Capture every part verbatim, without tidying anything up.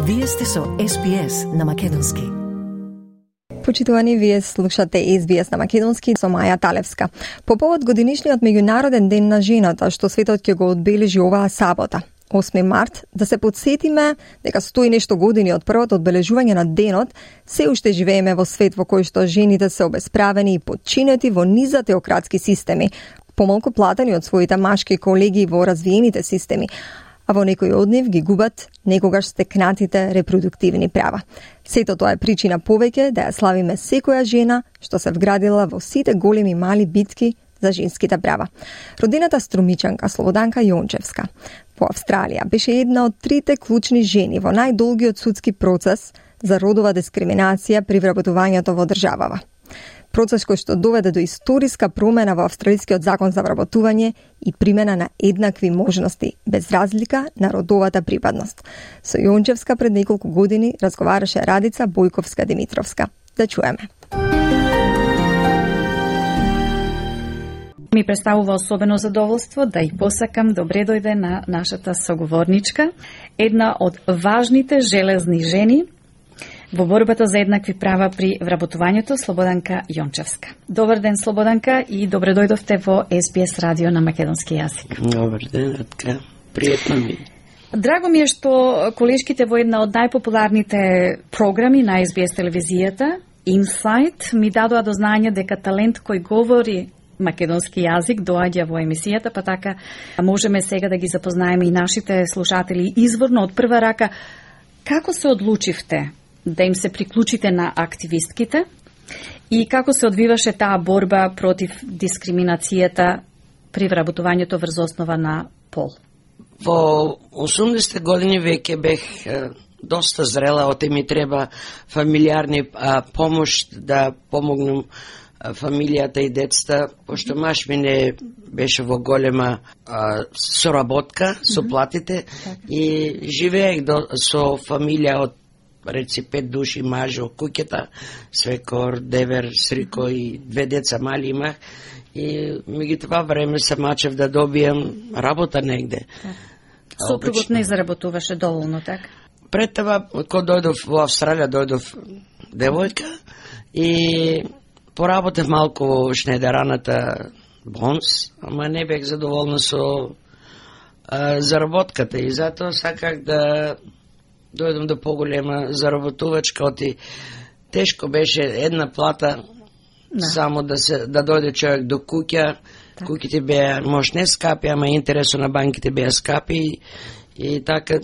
Вие сте со Ес Би Ес на македонски. Почитувани, вие слушате Ес Би Ес на македонски со Маја Талевска. По повод годинишниот меѓународен ден на жената, што светот ќе го одбележи оваа сабота, осми март, да се подсетиме дека стои нешто години од првото одбележување на денот, се уште живееме во свет во кој што жените се обесправени и подчинети во низа теократски системи, помалку платени од своите машки колеги во развиените системи, а во некои од нив ги губат некогаш стекнатите репродуктивни права. Сето тоа е причина повеќе да ја славиме секоја жена што се вградила во сите големи мали битки за женските права. Родената струмичанка Слободанка Јончевска во Австралија беше една од трите клучни жени во најдолгиот судски процес за родова дискриминација при вработувањето во државава. Процес кој што доведе до историска промена во австралискиот закон за вработување и примена на еднакви можности, без разлика на родовата припадност. Со Јончевска пред неколку години разговараше Радица Бојковска-Димитровска. Да чуеме. Ми представува особено задоволство да и посакам добре дојде на нашата соговорничка, една од важните железни жени во борбата за еднакви права при вработувањето, Слободанка Јончевска. Добар ден, Слободанка, и добре дојдовте во Ес Би Ес радио на македонски јазик. Добар ден, така, пријатно ми. Драго ми е што колешките во една од најпопуларните програми на Ес Би Ес телевизијата, Инсайт, ми дадоа до знање дека талент кој говори македонски јазик доаѓа во емисијата, па така можеме сега да ги запознаеме и нашите слушатели изворно од прва рака. Како се одлучивте да им се приклучите на активистките и како се одвиваше таа борба против дискриминацијата при вработувањето врз основа на пол? Во осумдесетте години веќе бех доста зрела, оте ми треба фамилиарни а, помош да помогнам фамилијата и децата, пошто маш ми не беше во голема а, соработка со платите и живеех до, со фамилија од реци пет души мажо, куќета, свекор, девер, срико и две деца мали имах и меѓу това време се мачев да добијам работа негде. Сопругот не заработуваше доволно, така? Пред това, кога дојдов во Австралија, дојдов девојка и поработев малку во шнедераната Бонс, ама не бех задоволна со а, заработката и затоа саках да дојдам до поголема заработувачка, оти тешко беше една плата да. Само да се да дојде човек до куќа. Так. Куќите беа може не скапи, ама интересо на банките беа скапи и така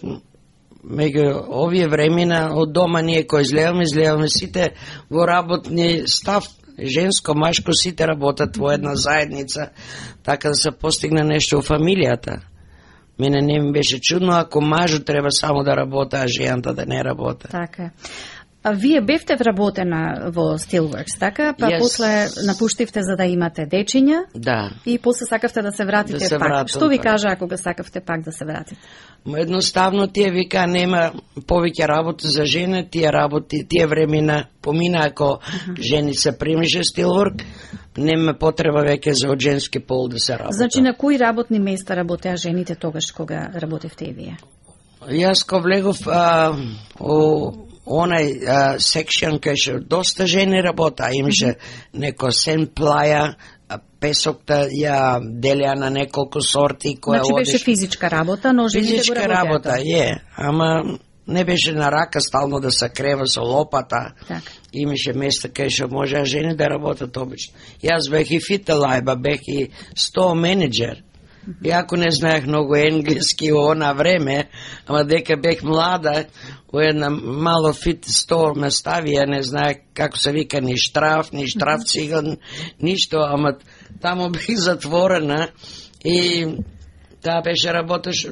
меѓу овие времена од дома ние кој излеваме, излеваме сите во работни став, женско, машко, сите работат во една заедница, така да се постигне нешто во фамилијата. Мене не ми беше чудно ако мажу треба само да работа, а жената да не работа. Така. А вие бевте вработена во Steelworks, така? Па yes. После напуштивте за да имате дечиња. Да. И после сакавте да се вратите да се пак. Вратам, Што ви кажа ако го сакавте пак да се вратите? Едноставно тие вика нема повеќе работа за жена, тие работи, тие времена помина ако uh-huh. жени се примише Steelwork, нема потреба веќе за од женски пол да се работа. Значи на кои работни места работеа жените тогаш кога работевте и вие? Јас ко влегов а, о онај секшн кај ше доста жени работа, имаше mm-hmm. неко сен плаја, песокта ја делеа на неколку сорти која значи одиш... беше физичка работа, но жените физичка го работеа. Работа, е, ама не беше на рака стално да се крева со лопата. Так. Имаше места кај што можеа жени да работат обично. Јас бех и фителајба, бех и стол менеджер. Иако не знаех многу енглески во она време, ама дека бех млада, во една мало фит стор ме ставија, не знаех како се вика ни штраф, ни штраф циган, ништо, ама таму бех затворена и таа беше работеш,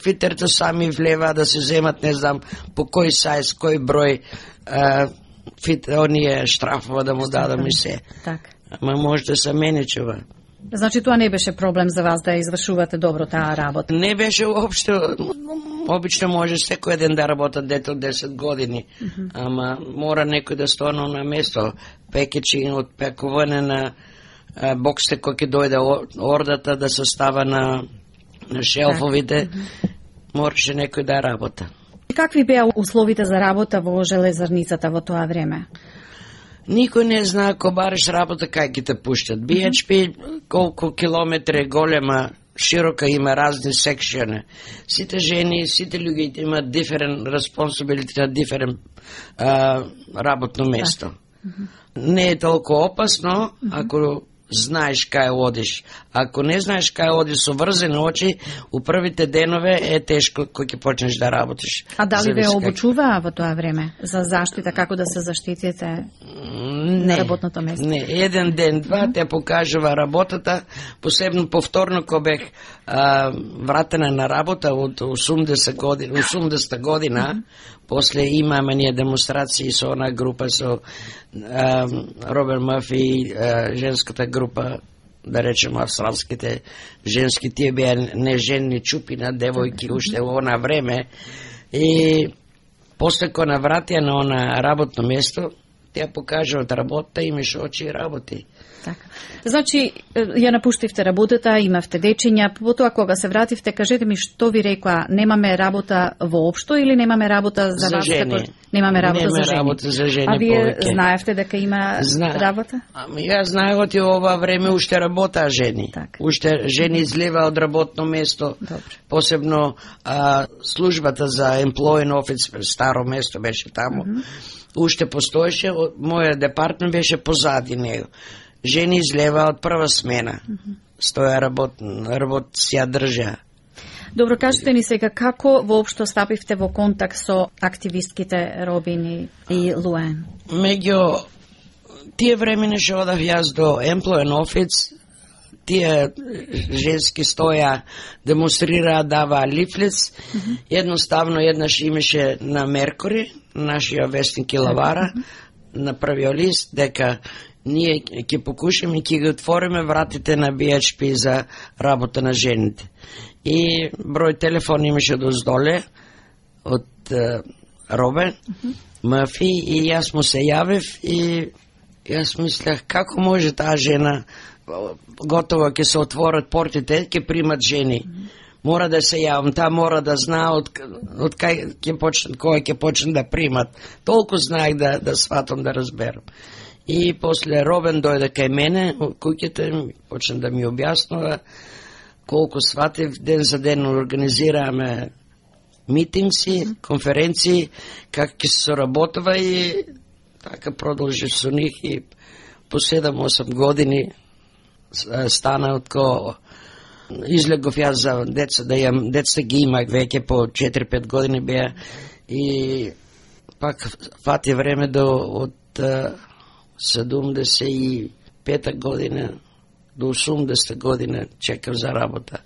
фитерто сами влева да се земат, не знам по кој сајз, кој број а, фит, оние штрафова да му дадам и се. Так. Ама може да се менечува. Значи тоа не беше проблем за вас да извршувате добро таа работа? Не беше уопшто. Обично може секој ден да работат дете од десет години, mm-hmm. ама мора некој да стане на место. Пекечи од пекување на боксте кој ќе дојде ордата да се става на, на шелфовите, mm-hmm. мораше некој да работа. Какви беа условите за работа во железарницата во тоа време? Никој не знае ако бараш работа кај ќе те пуштат. Би Еч Пи колку километри е голема, широка, има разни секшиони. Сите жени, сите луѓе имаат different responsibility на different uh, работно место. Не е толку опасно ако знаеш кај одиш. Ако не знаеш кај одиш со врзени очи, у првите денове е тешко кој ќе почнеш да работиш. А дали ве Зависи обучуваа во тоа време за заштита, како да се заштитите на работното место? Не, еден ден, два те покажува работата, посебно повторно кога бех а, вратена на работа од осумдесет година, осумдесета година, после имаме ние демонстрации со она група со а, Роберт Мърфи, а, женската група, да речем австралските женски, тие беа неженни чупина девојки уште во она време, и после кога навратија на она работно место, тя покажуват работа, имаш очи и работи. Така. Значи, ја напуштивте работата, имавте дечиња, потоа кога се вративте, кажете ми што ви рекоа, немаме работа воопшто или немаме работа за, за вас? жени. Како... Немаме работа Нема за жени. работа за жени. А вие повеќе. знаевте дека има Зна... работа? Ами ја знаех од ова време уште работаа жени. Так. Уште жени излева од работно место. Добре. Посебно а, службата за employee office, старо место беше таму. Mm -hmm. Уште постоеше, мојот департмент беше позади него. Жени излева од прва смена. Mm -hmm. Стоја работ, работ си ја држа. Добро, кажете ни сега како воопшто стапивте во контакт со активистките Робин и Луен? Меѓу тие времене што одав јас до employee office, тие женски стоја, демонстрираа, даваа лифлец. Mm -hmm. Едноставно еднаш имаше на Меркури, нашиот вестник Илавара, mm -hmm. на првиот лист, дека ние ќе покушаме и ќе ги отвориме вратите на Би Еч Пи за работа на жените. И број телефон имаше доздоле од uh, Робен mm -hmm. Мърфи, и јас му се јавив и јас мислех како може таа жена, готово ќе се отворат портите, ќе примат жени. Mm -hmm. Мора да се јавам, таа мора да знае од, од кај ќе почнат, кој ќе почне да примат. Толку знаех да, да сватам, да разберам. И после Робен дојде кај мене, куќите, почна да ми објаснува колку сватив, ден за ден организираме митингси, конференции, как ќе се соработува, и така продолжи со нив, и по седум-осум години стана од ко излегов јас за деца, да јам, деца ги имах веќе по четири-пет години беа, и пак фати време до од седумдесет и пета година до осумдесета година чекав за работа.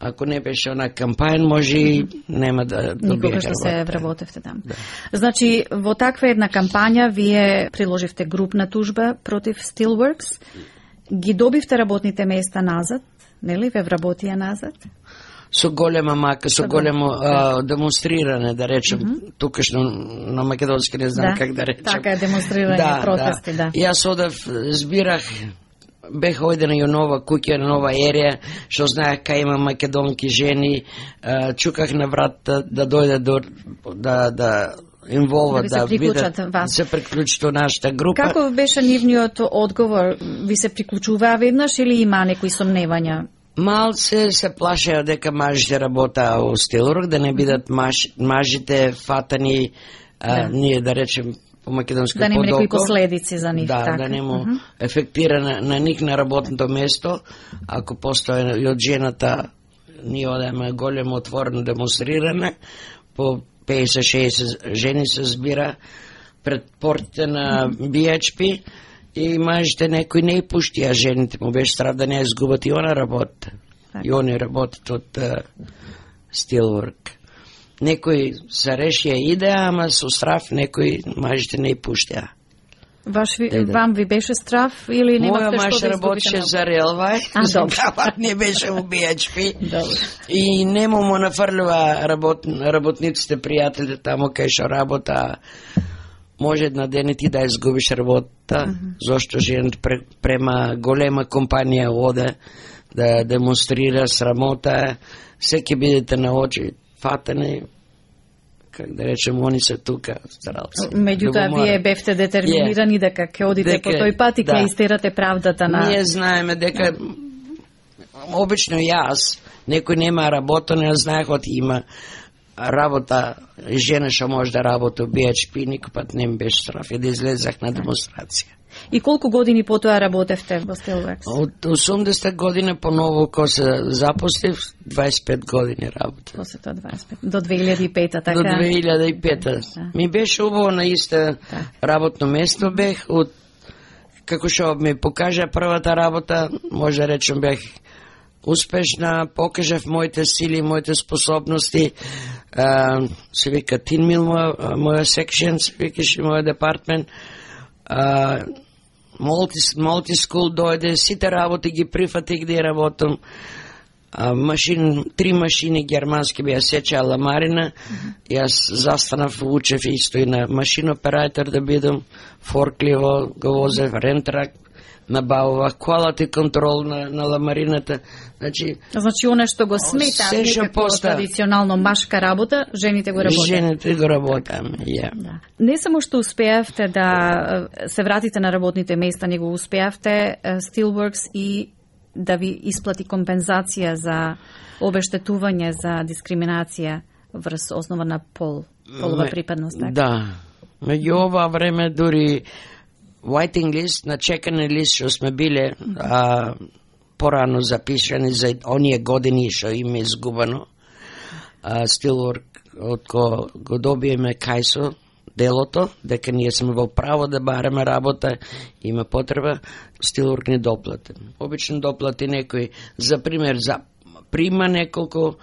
Ако не беше она кампања, може и нема да добиеш работа. Никога што се вработевте там. Да. Значи, во таква една кампања вие приложивте групна тужба против Steelworks, ги добивте работните места назад, нели, ве вработија назад? Со голема мака, со големо а, демонстрирање, да речем, mm -hmm. тукашно на македонски не знам да, как да речем. Така е, демонстрирање, да, протести, да. да. Јас одев, збирах, бех ојдена и нова куќа, нова ерија, што знаех кај има македонки жени, а, чуках на врат да, да дојде до, да, да инволват, да, да видат, се приклучат во нашата група. Како беше нивниот одговор? Ви се приклучуваа веднаш или има некои сомневања? Малце се плашеа дека мажите работаа во Steelworks, да не бидат маж, мажите фатани, а, да. Ние да речем по македонски да нема некои подоко, последици за нив. Да, така. да нема uh -huh. ефектира на, на ник на работното место, ако постои и од жената, ние одеме големо отворено демонстрирање, по петдесет-шеесет жени се збира пред портите на Би Еч Пи, и мажите некои не и пуштија жените, му беше страв да не изгубат и она работа. И они работат од uh, Steelworks. Некои се решија идеја, ама со страв некои мажите не и пуштија. Ваш ви, да, да. Вам ви беше страв или немавте што да изгубите? Моја маж работеше за Релвај, не беше во Би Еч Пи. И нему му нафрлува работ, работниците, пријатели таму кај што работа. Може една ден и ти да изгубиш работа, uh -huh. зашто женот према голема компанија оде да демонстрира срамота, се ќе бидете на очи фатани, как да речем, они се тука, старалци. Меѓутоа, вие бевте детерминирани yeah. дека ќе одите дека, по тој пат и ќе да. Истерате правдата на... Ние знаеме дека, обично јас, некој нема работа, не знаех од има работа, жена што може да работи би еич пи, никој пат не ми беше страф, и да излезах на демонстрација. И колку години потоа работевте во Steelworks? Од осумдесет години поново кога се запослив, дваесет и пет години работа. После тоа дваесет и пет. До две илјади и пета, така? До две илјади и пета. Да. Ми беше убаво на исто да. Работно место бех, од како што ми покажа првата работа, може да речем бех успешна, покажав моите сили, моите способности. Uh, се вика Тинмил, моја, моја секшен, се викаше моја департмент. Uh, Multi, multi school дојде, сите работи ги прифатих где работам. Uh, машин, три машини германски беа сеча ламарина. Mm-hmm. Јас застанав, учев исто и на машин оператор да бидам, форкливо го возев, рентрак, набавувах quality контрол на, на ламарината. Значи, значи оно што го смета некако традиционално машка работа, жените го работат. Жените го работаме, ја. Yeah. Да. Не само што успеавте да се вратите на работните места, него успеавте Steelworks и да ви исплати компензација за обештетување за дискриминација врз основа на пол, полова припадност, така? Да. Меѓу ова време дури waiting list, на чекане лист што сме биле, а, порано запишани за оние години што им е изгубено. А, Steelwork, од ко го добиеме кајсо делото, дека ние сме во право да бараме работа, има потреба, Steelwork не доплатен. Обично доплати некој, за пример, за прима неколку,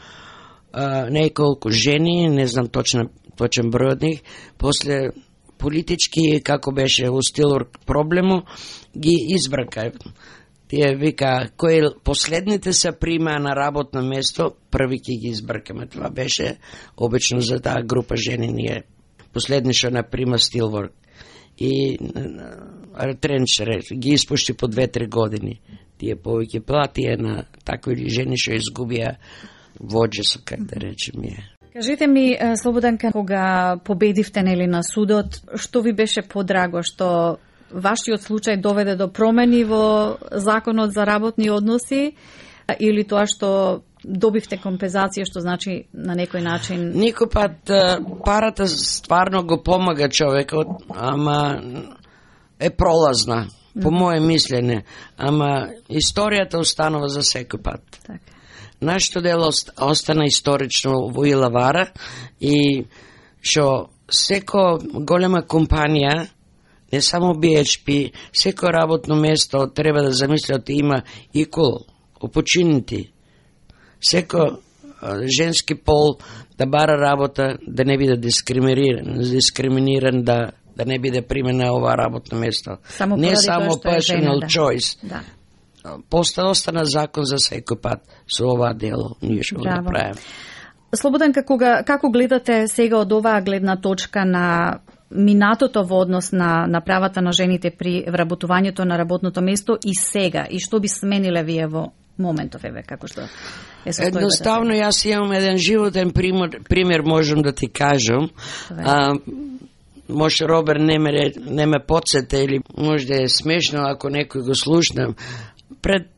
а, неколку жени, не знам точно, точен број од нив, после политички, како беше у Steelwork проблему, ги избрака. Тие вика, кои последните се прима на работно место, први ќе ги избракаме. Това беше обично за таа група жени, ние последни што наприма Steelwork. И Тренч ги испушти по две-три години. Тие повеќе платија на такви жени што изгубија воџесо, как да речем е. Кажете ми, Слободанка, кога победивте нели на судот, што ви беше подраго, што вашиот случај доведе до промени во законот за работни односи или тоа што добивте компензација, што значи на некој начин... Никој пат парата стварно го помага човекот, ама е пролазна, по моје мислене, ама историјата останува за секој пат. Така. Нашето дело остана исторично во Илавара и што секо голема компанија, не само би еич пи, секо работно место треба да замислят има equal opportunity. Секо женски пол да бара работа, да не биде дискриминиран, дискриминиран да да не биде примена ова работно место. Само не само personal да. choice. Да. Поста остана закон за секој пат со ова дело, ние што го направиме. Слободанка, кога како гледате сега од оваа гледна точка на минатото во однос на, на правата на жените при вработувањето на работното место и сега, и што би смениле вие во моментов, еве, како што е состојбата? Едноставно, јас имам еден животен пример, пример можам да ти кажам. А, може Робер не ме, не ме подсете или може да е смешно ако некој го слушнам. Пред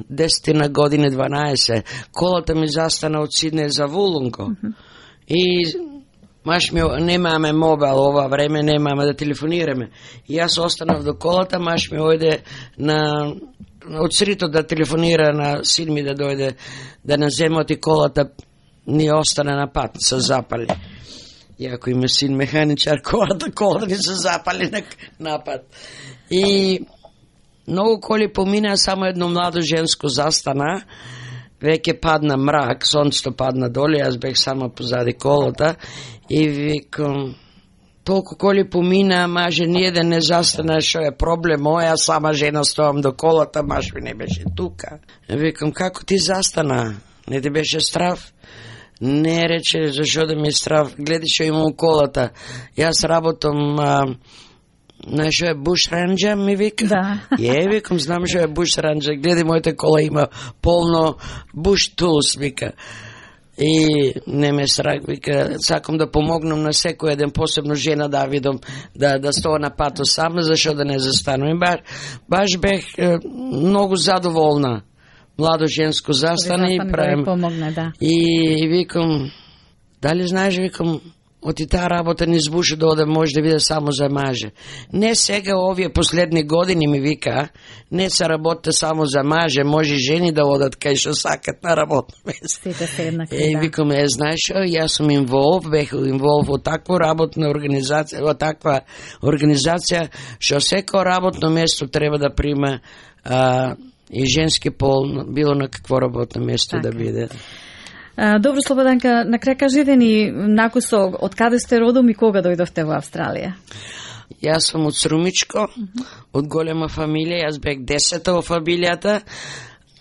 десет години, дванаесет, колата ми застана од Сиднеј за Вулунго. Mm-hmm. И маш ми, немаме мобил ова време, немаме да телефонираме. И јас останав до колата, маш ми ојде на од срито да телефонира на син ми да дојде да не земат и колата ни остане на пат, се запали. И ако има син механичар, колата, колата ни се запали на, на пат. И многу коли помина, само едно младо женско застана, веќе падна мрак, сонцето падна доле, јас бех само позади колата и викам, толку коли помина, маже ниеден не застана, што е проблем, моја сама жена стоам до колата, маж ми не беше тука. Викам, како ти застана? Не ти беше страв? Не, рече, зашо да ми е страв? Гледи што имам колата. Јас работам... А, знаеш што е буш ранџа, ми вика? Да. Е, викам, знам што е буш ранџа. Гледи, моите кола има полно буш тулс, вика. и не ме страх, вика, сакам да помогнам на секој еден, посебно жена да видам, да, да стоа на пато сама, зашо да не застанам. И баш, баш бех е, многу задоволна. Младо женско застане и правим. Да помогне, да. И викам, дали знаеш, викам, оти таа работа не збуша да оде може да биде само за маже. Не сега овие последни години ми вика, не се работите само за маже, може жени да одат кај што сакат на работно место. Е, да. Викам, е, знаеш, јас сум инволв, бех инволв во таква работна организација, во таква организација, што секој работно место треба да прима а, и женски пол, било на какво работно место така да биде. Добро, Слободанка, на крај кажете ни накусо од каде сте родом и кога дојдовте во Австралија? Јас сум од Срумичко, mm -hmm. од голема фамилија, јас бех десета во фамилијата.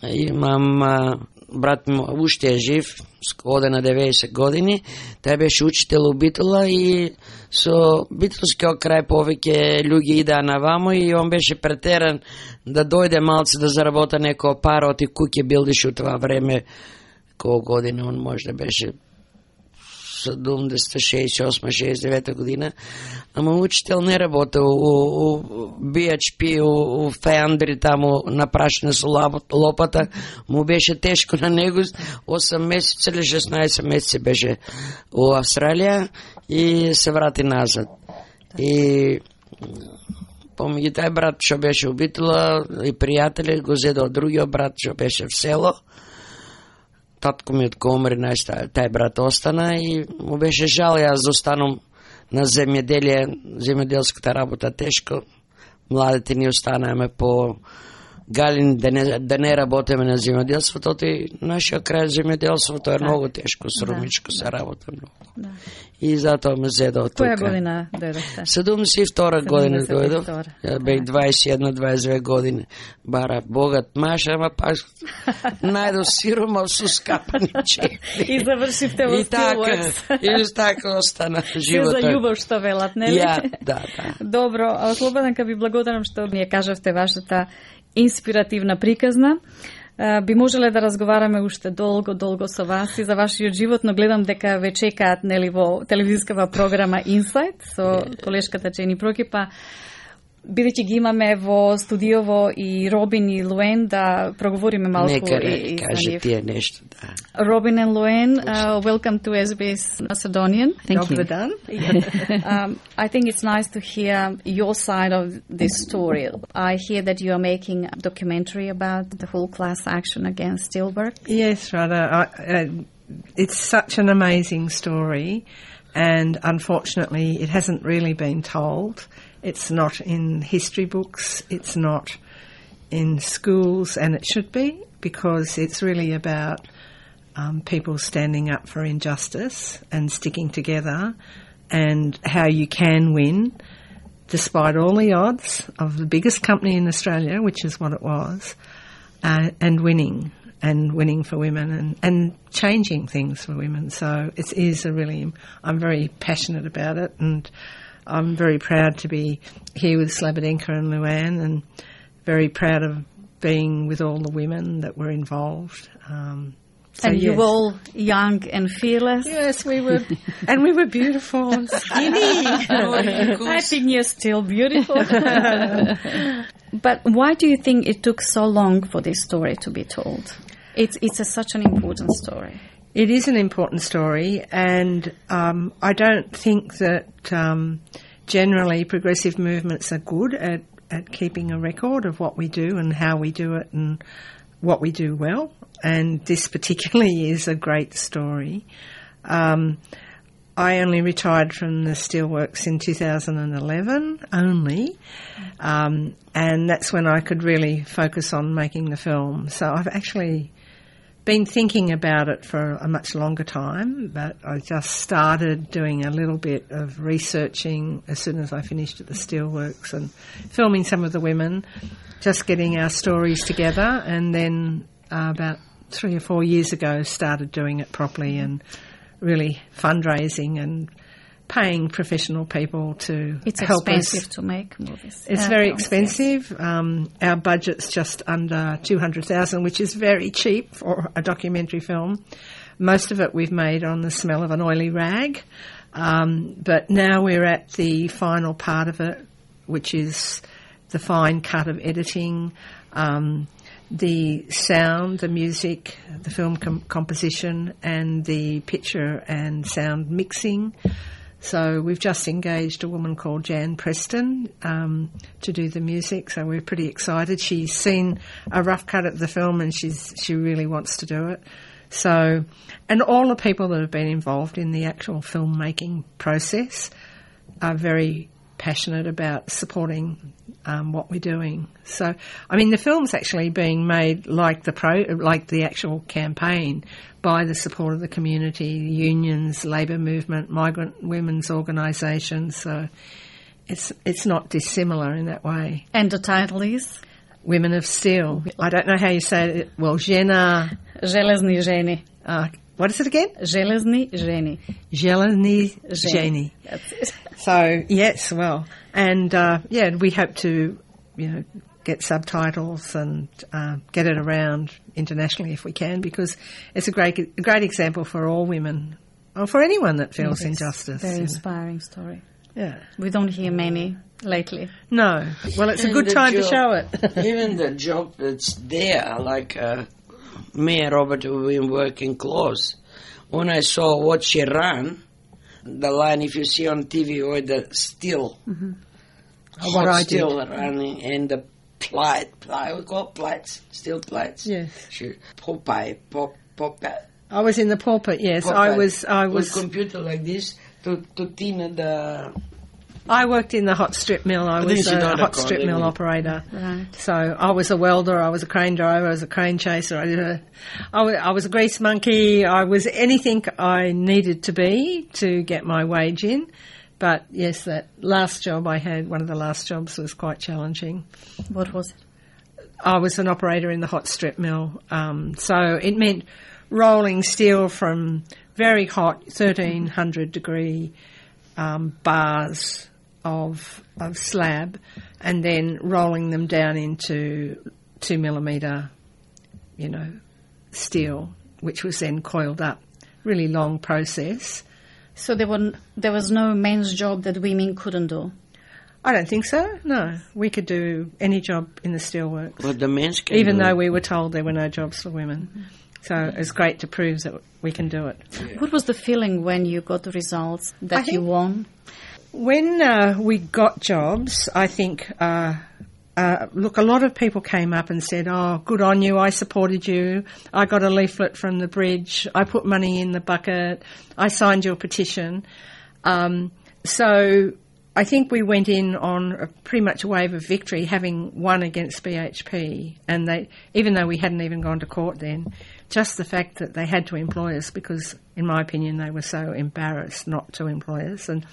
Имам а, брат ми уште е жив, оде на деветдесет години. Тај беше учител у Битола и со битолскиот крај повеќе луѓе идеа навамо и он беше претеран да дојде малце да заработа некоја пара од и куќе билдиш у това време. Колко година он може да беше седумдесет, шеесет и осма, шеесет и девета година, ама учител не работел у, у би еич пи, у, у Феандри, таму напрашена со лопата, му беше тешко на него, осам месеца или шеснаесет месеци беше у Австралија и се врати назад. И помеѓу тај брат што беше у Битола и пријатели го зеде од другиот брат што беше в село. Татко ми од Комри, тај брат остана и му беше жал јас да останам на земјоделие, земјоделската работа тешко. Младите ни останаме по галин да не, да не работиме на земјоделството, и нашиот крај земјоделството е многу тешко, Срумичко да, се работа многу. Да. И затоа ме зеда од тука. Која година дојдовте? седумдесет и втора година дојдов. Ја бех дваесет и една дваесет и две години. Бара богат маж, ама пак најдов сиромав со скапани чепли. И завршивте во Steelworks. И така остана животот. Се за љубов што велат, нели? Ја, да, да. Добро, Слободанка, ви благодарам што ми ја кажавте вашата инспиративна приказна. Би можеле да разговараме уште долго, долго со вас и за вашиот живот, но гледам дека ве чекаат нели во телевизискава програма Инсайт со колешката Джени Прокипа. Бидејќи ги имаме во студиово и Робин и Луен, да проговориме малку. Нека и каже тие нешто, да. Robin and Luen, uh, welcome to S B S Macedonian. Thank you. Done. um, I think it's nice to hear your side of this story. I hear that you are making a documentary about the whole class action against Steelworks. Yes, Rada. I, uh, it's such an amazing story, and unfortunately it hasn't really been told. It's not in history books, it's not in schools, and it should be, because it's really about um, people standing up for injustice and sticking together, and how you can win despite all the odds of the biggest company in Australia, which is what it was, uh, and winning, and winning for women, and, and changing things for women. So it is a really, I'm very passionate about it, and I'm very proud to be here with Slobodinka and Luann, and very proud of being with all the women that were involved. Um, so and yes. you were all young and fearless. Yes, we were, and we were beautiful and skinny. I think you're still beautiful. But why do you think it took so long for this story to be told? It's it's a, such an important story. It is an important story, and um, I don't think that um, generally progressive movements are good at, at keeping a record of what we do and how we do it and what we do well. And this particularly is a great story. Um, I only retired from the Steelworks in two thousand eleven, only, um, and that's when I could really focus on making the film. So I've actually been thinking about it for a much longer time, but I just started doing a little bit of researching as soon as I finished at the Steelworks and filming some of the women, just getting our stories together, and then uh, about three or four years ago started doing it properly and really fundraising and paying professional people to it's help us. It's expensive to make movies. It's uh, very films, expensive. Yes. Um, our budget's just under two hundred thousand, which is very cheap for a documentary film. most of it we've made on the smell of an oily rag, um, but now we're at the final part of it, which is the fine cut of editing, um, the sound, the music, the film com- composition, and the picture and sound mixing. So we've just engaged a woman called Jan Preston um, to do the music, so we're pretty excited. She's seen a rough cut of the film and she's she really wants to do it. So, and all the people that have been involved in the actual filmmaking process are very passionate about supporting um, what we're doing. So, I mean, the film's actually being made like the pro, like the actual campaign, by the support of the community, unions, labour movement, migrant women's organisations. So, it's it's not dissimilar in that way. And the title is Women of Steel. I don't know how you say it. Well, Žena. Železní ženy. Uh, what is it again? Železní ženy. Železní ženy. That's it. So, yes, well, and, uh, yeah, we hope to, you know, get subtitles and uh, get it around internationally if we can, because it's a great a great example for all women, or for anyone that feels Yes, injustice. Very you know. inspiring story. Yeah. We don't hear many lately. No. Well, it's a And good the time to job- show it. Even the job that's there, like uh, me and Robert, we've been working close. When I saw what she ran, the line, if you see on T V, or the steel, Mm-hmm. hot What I steel did. running, and the plate, I would call plates, steel plates. Yes. She, Popeye, pop, Popeye. I was in the pulpit, yes. Popeye. I was, I With was, computer like this to, to thin the... I worked in the hot strip mill. I I was think you a don't hot have strip to, mill didn't you? operator. Right. So I was a welder, I was a crane driver, I was a crane chaser, I did a, I was, I was a grease monkey, I was anything I needed to be to get my wage in. But yes, that last job I had, one of the last jobs, was quite challenging. What was it? I was an operator in the hot strip mill. Um, so it meant rolling steel from very hot thirteen hundred degree um, bars of of slab, and then rolling them down into two millimetre, you know, steel, which was then coiled up. Really long process. So there were there was no men's job that women couldn't do. I don't think so. No, we could do any job in the steelworks, But the men's can even do though it. we were told there were no jobs for women. Mm-hmm. So it's great to prove that we can do it. What was the feeling when you got the results that I think- you won? When uh, we got jobs, I think, uh, uh, look, a lot of people came up and said, oh, good on you, I supported you, I got a leaflet from the bridge, I put money in the bucket, I signed your petition. Um, so I think we went in on a pretty much a wave of victory, having won against B H P, and they, even though we hadn't even gone to court then, just the fact that they had to employ us, because in my opinion they were so embarrassed not to employ us, and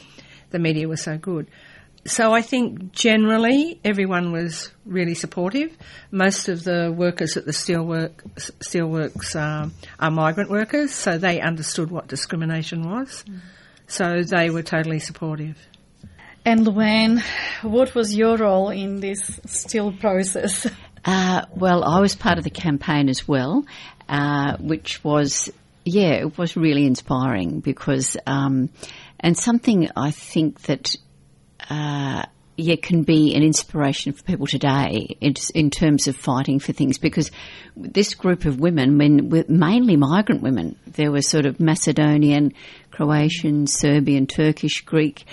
the media was so good. So I think generally everyone was really supportive. Most of the workers at the steelwork, steelworks um, are migrant workers, so they understood what discrimination was. Mm. So they were totally supportive. And Luanne, what was your role in this still process? Uh, well, I was part of the campaign as well, uh, which was, yeah, it was really inspiring because, um, and something I think that, uh, yeah, can be an inspiration for people today in, in terms of fighting for things, because this group of women, when were mainly migrant women, there were sort of Macedonian, Croatian, Serbian, Turkish, Greek,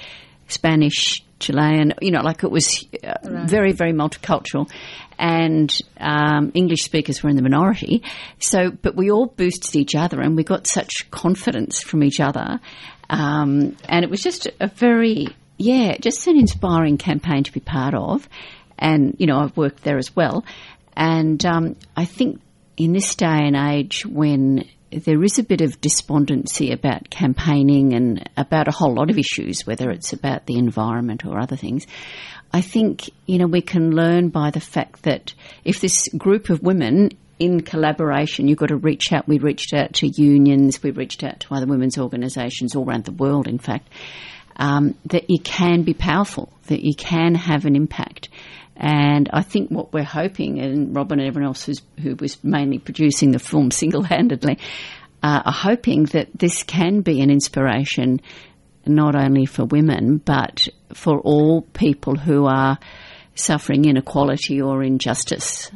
Spanish, Chilean, you know, like it was uh, right. very, very multicultural, and um, English speakers were in the minority. So, but we all boosted each other and we got such confidence from each other. Um, and it was just a very, yeah, just an inspiring campaign to be part of. And, you know, I've worked there as well. And um, I think in this day and age when there is a bit of despondency about campaigning and about a whole lot of issues, whether it's about the environment or other things, I think, you know, we can learn by the fact that if this group of women in collaboration, you've got to reach out. We reached out to unions, we reached out to other women's organisations all around the world, in fact, um, that you can be powerful, that you can have an impact. And I think what we're hoping, and Robin and everyone else who's, who was mainly producing the film single-handedly, uh, are hoping that this can be an inspiration not only for women but for all people who are suffering inequality or injustice.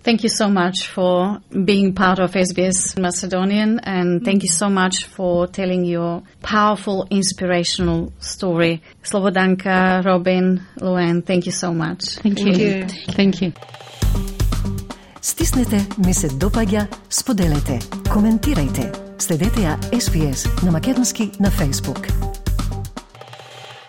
Thank you so much for being part of S B S Macedonian, and thank you so much for telling your powerful, inspirational story. Slobodanka, Robin, Luann, thank you so much. Thank you. Thank you. Thank you. Стиснете, ми се допаѓа, споделете, коментирајте. Следете ја С Б С на македонски на Facebook.